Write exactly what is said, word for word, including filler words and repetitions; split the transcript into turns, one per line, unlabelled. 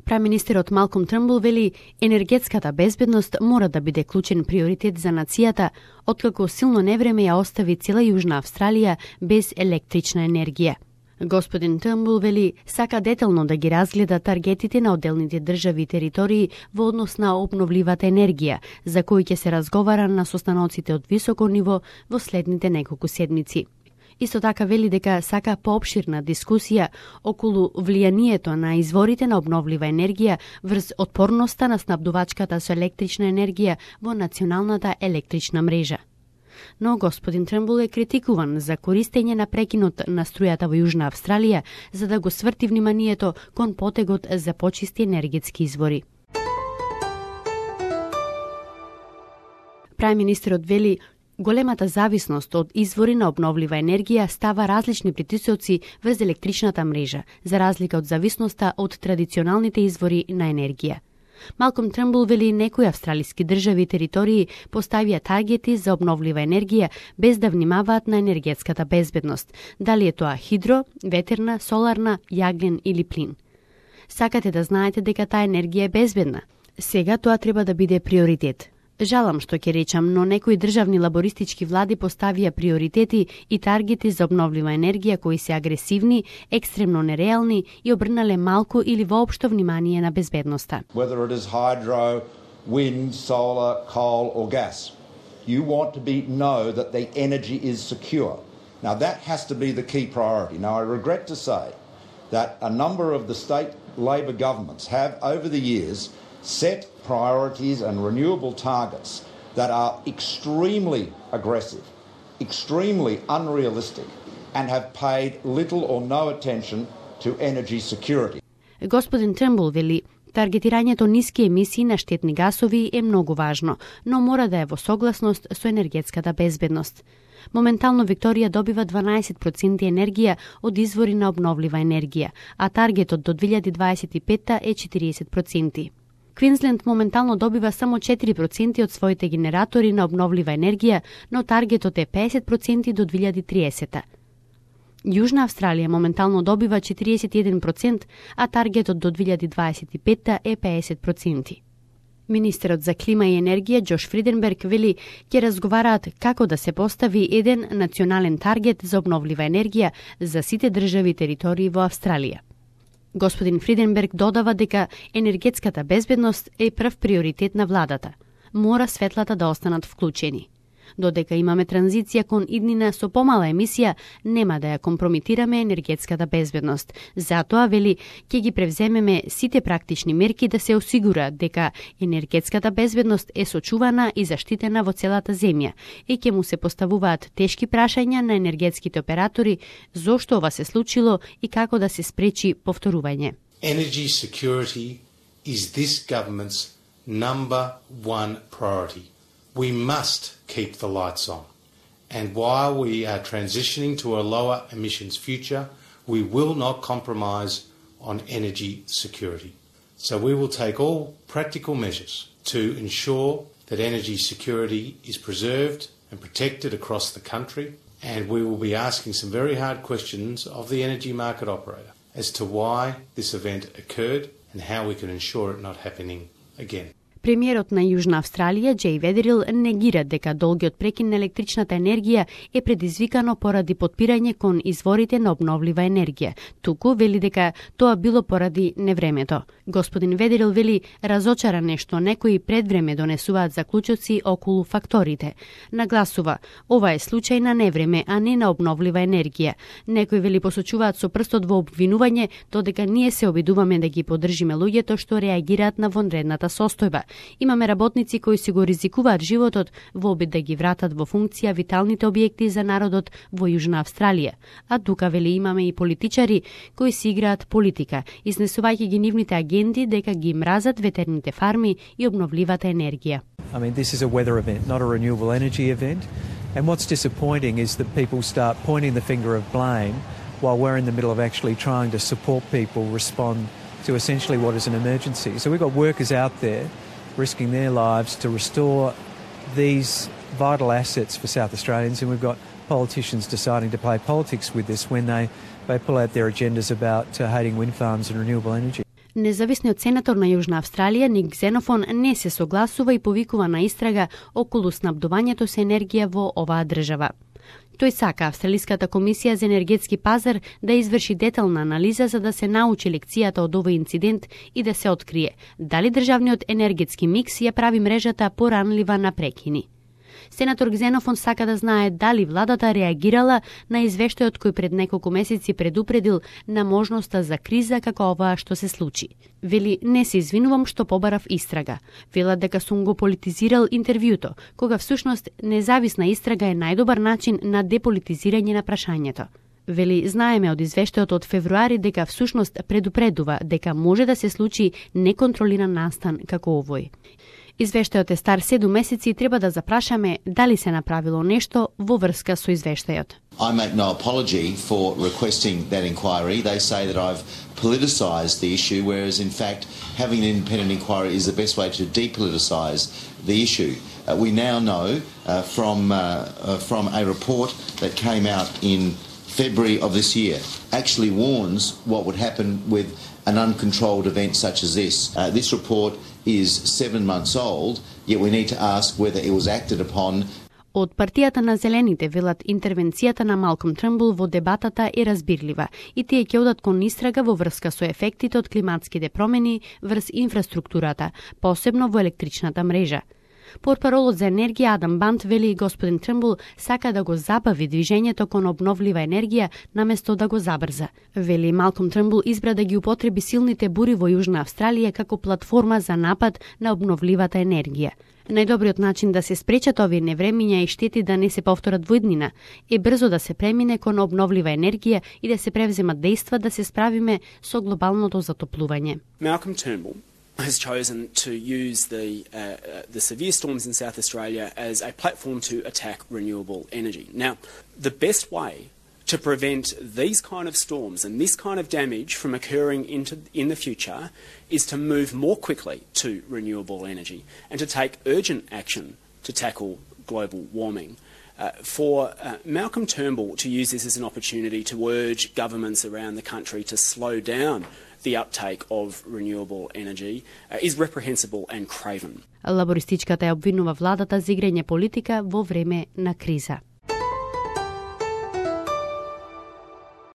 Преминистерот Малком Трнбул вели енергетската безбедност мора да биде клучен приоритет за нацијата, откако силно невреме ја остави цела Јужна Австралија без електрична енергија. Господин Трнбул вели сака детално да ги разгледа таргетите на одделните држави и територии во однос на обновливата енергија, за кои ќе се разговара на состаноците од високо ниво во следните неколку седмици. Исто така вели дека сака поопширна дискусија околу влијанието на изворите на обновлива енергија врз отпорноста на снабдувачката со електрична енергија во националната електрична мрежа. Но господин Трнбул е критикуван за користење на прекинот на струјата во Јужна Австралија за да го сврти вниманието кон потегот за почисти енергетски извори. Преминистерот вели големата зависност од извори на обновлива енергија става различни притисоци врз електричната мрежа, за разлика од зависноста од традиционалните извори на енергија. Малком Трнбул вели некои австралиски држави и територии поставија таргети за обновлива енергија без да внимаваат на енергетската безбедност, дали е тоа хидро, ветерна, соларна, јаглен или плин. Сакате да знаете дека таа енергија е безбедна. Сега тоа треба да биде приоритет. Жалам што ќе речам, но некои државни лабористички влади поставија приоритети и таргети за обновлива енергија кои се агресивни, екстремно нереални и обрнале малку или воопшто внимание на безбедноста.
Whether it is hydro, wind, solar, coal or gas, you want to be know that the energy is secure. Now that has to be the key priority. Now I regret to say that a number of the state Labor governments have over the years set priorities and renewable targets that are extremely aggressive, extremely unrealistic, and have paid little or no attention to energy security.
Господин Трнбул вели, таргетирањето ниски емисии на штетни гасови е многу важно, но мора да е во согласност со енергетската безбедност. Моментално Викторија добива дванаесет проценти енергија од извори на обновлива енергија, а таргетот до две илјади дваесет и петта е четириесет проценти. Квинсленд моментално добива само четири проценти од своите генератори на обновлива енергија, но таргетот е пеесет проценти до две илјади триесетта. Јужна Австралија моментално добива четириесет и еден проценти, а таргетот до две илјади дваесет и петта е пеесет проценти. Министерот за клима и енергија Џош Фриденберг вели ќе разговараат како да се постави еден национален таргет за обновлива енергија за сите држави и територии во Австралија. Господин Фриденберг додава дека енергетската безбедност е прв приоритет на владата. Мора светлата да останат вклучени. Додека имаме транзиција кон иднина со помала емисија, нема да ја компромитираме енергетската безбедност. Затоа, вели, ќе ги превземеме сите практични мерки да се осигура дека енергетската безбедност е сочувана и заштитена во целата земја и ќе му се поставуваат тешки прашања на енергетските оператори зошто ова се случило и како да се спречи повторување.
Energy security is this government's number one priority. We must keep the lights on. And while we are transitioning to a lower emissions future, we will not compromise on energy security. So we will take all practical measures to ensure that energy security is preserved and protected across the country. And we will be asking some very hard questions of the energy market operator as to why this event occurred and how we can ensure it not happening again.
Премиерот на Јужна Австралија, Џеј Ведерил, негира дека долгиот прекин на електричната енергија е предизвикано поради потпирање кон изворите на обновлива енергија. Туку вели дека тоа било поради невремето. Господин Ведерил вели разочаран е што некои пред време донесуваат заклучоци околу факторите. Нагласува, ова е случај на невреме, а не на обновлива енергија. Некои вели посочуваат со прстот во обвинување, додека ние се обидуваме да ги поддржиме луѓето што реагираат на вонредната состојба. Имаме работници кои си го ризикуваат животот во обид да ги вратат во функција виталните објекти за народот во Јужна Австралија. А тука вели имаме и политичари кои си играат политика, изнесувајќи ги нивните агенди дека ги мразат ветерните фарми и обновливата енергија.
I mean, this is a weather event, not a renewable energy event. And what's disappointing is that people start pointing the finger of blame while we're in the middle of actually trying to support people respond to essentially what is an emergency. So we've got workers out there risking their lives to restore these vital assets for South Australians, and we've got politicians deciding to play politics with this when they, they pull out their agendas about uh, hating wind farms and renewable energy.
Независниот сенатор на Јужна Австралија Ник Ксенофон не се согласува и повикува на истрага околу снабдувањето со енергија во оваа држава. Тој сака Австралиската комисија за енергетски пазар да изврши детална анализа за да се научи лекцијата од овој инцидент и да се открие дали државниот енергетски микс ја прави мрежата поранлива на прекини. Сенатор Ксенофон сака да знае дали владата реагирала на извештајот кој пред неколку месеци предупредил на можноста за криза како оваа што се случи. Вели, не се извинувам што побарав истрага. Велат дека сум го политизирал интервјуто, кога всушност независна истрага е најдобар начин на деполитизирање на прашањето. Вели, знаеме од извештајот од февруари дека всушност предупредува дека може да се случи неконтролиран настан како овој. Извештајот е стар седум месеци и треба да запрашаме дали се направило нешто во врска со извештајот.
I make no apology for requesting that inquiry. They say that I've politicised the issue, whereas in fact having an independent inquiry is the best way to depoliticise the issue. Uh, we now know uh, from, uh, uh, from a report that came out in February of this year actually warns what would happen with an uncontrolled event such as this. Uh, this report is seven months old, yet we need to ask whether it was acted upon.
Од партијата на Зелените велат интервенцијата на Малком Трмбул во дебатата е разбирлива и тие ќе одат кон истрага во врска со ефектите од климатските промени врз инфраструктурата, посебно во електричната мрежа. Портпаролот за енергија Адам Бант вели господин Трмбул сака да го забави движењето кон обновлива енергија наместо да го забрза. Вели Малком Трмбул избра да ги употреби силните бури во Јужна Австралија како платформа за напад на обновливата енергија. Најдобриот начин да се спречат овие невремиња и штети да не се повторат во иднина е брзо да се премине кон обновлива енергија и да се превземат дејства да се справиме со глобалното затоплување.
Malcolm Turnbull has chosen to use the uh, the severe storms in South Australia as a platform to attack renewable energy. Now, the best way to prevent these kind of storms and this kind of damage from occurring into in the future is to move more quickly to renewable energy and to take urgent action to tackle global warming. Uh, for uh, Malcolm Turnbull to use this as an opportunity to urge governments around the country to slow down the uptake of renewable energy uh, is reprehensible and craven.
Лабористичката ја обвинува владата за играње политика во време на криза.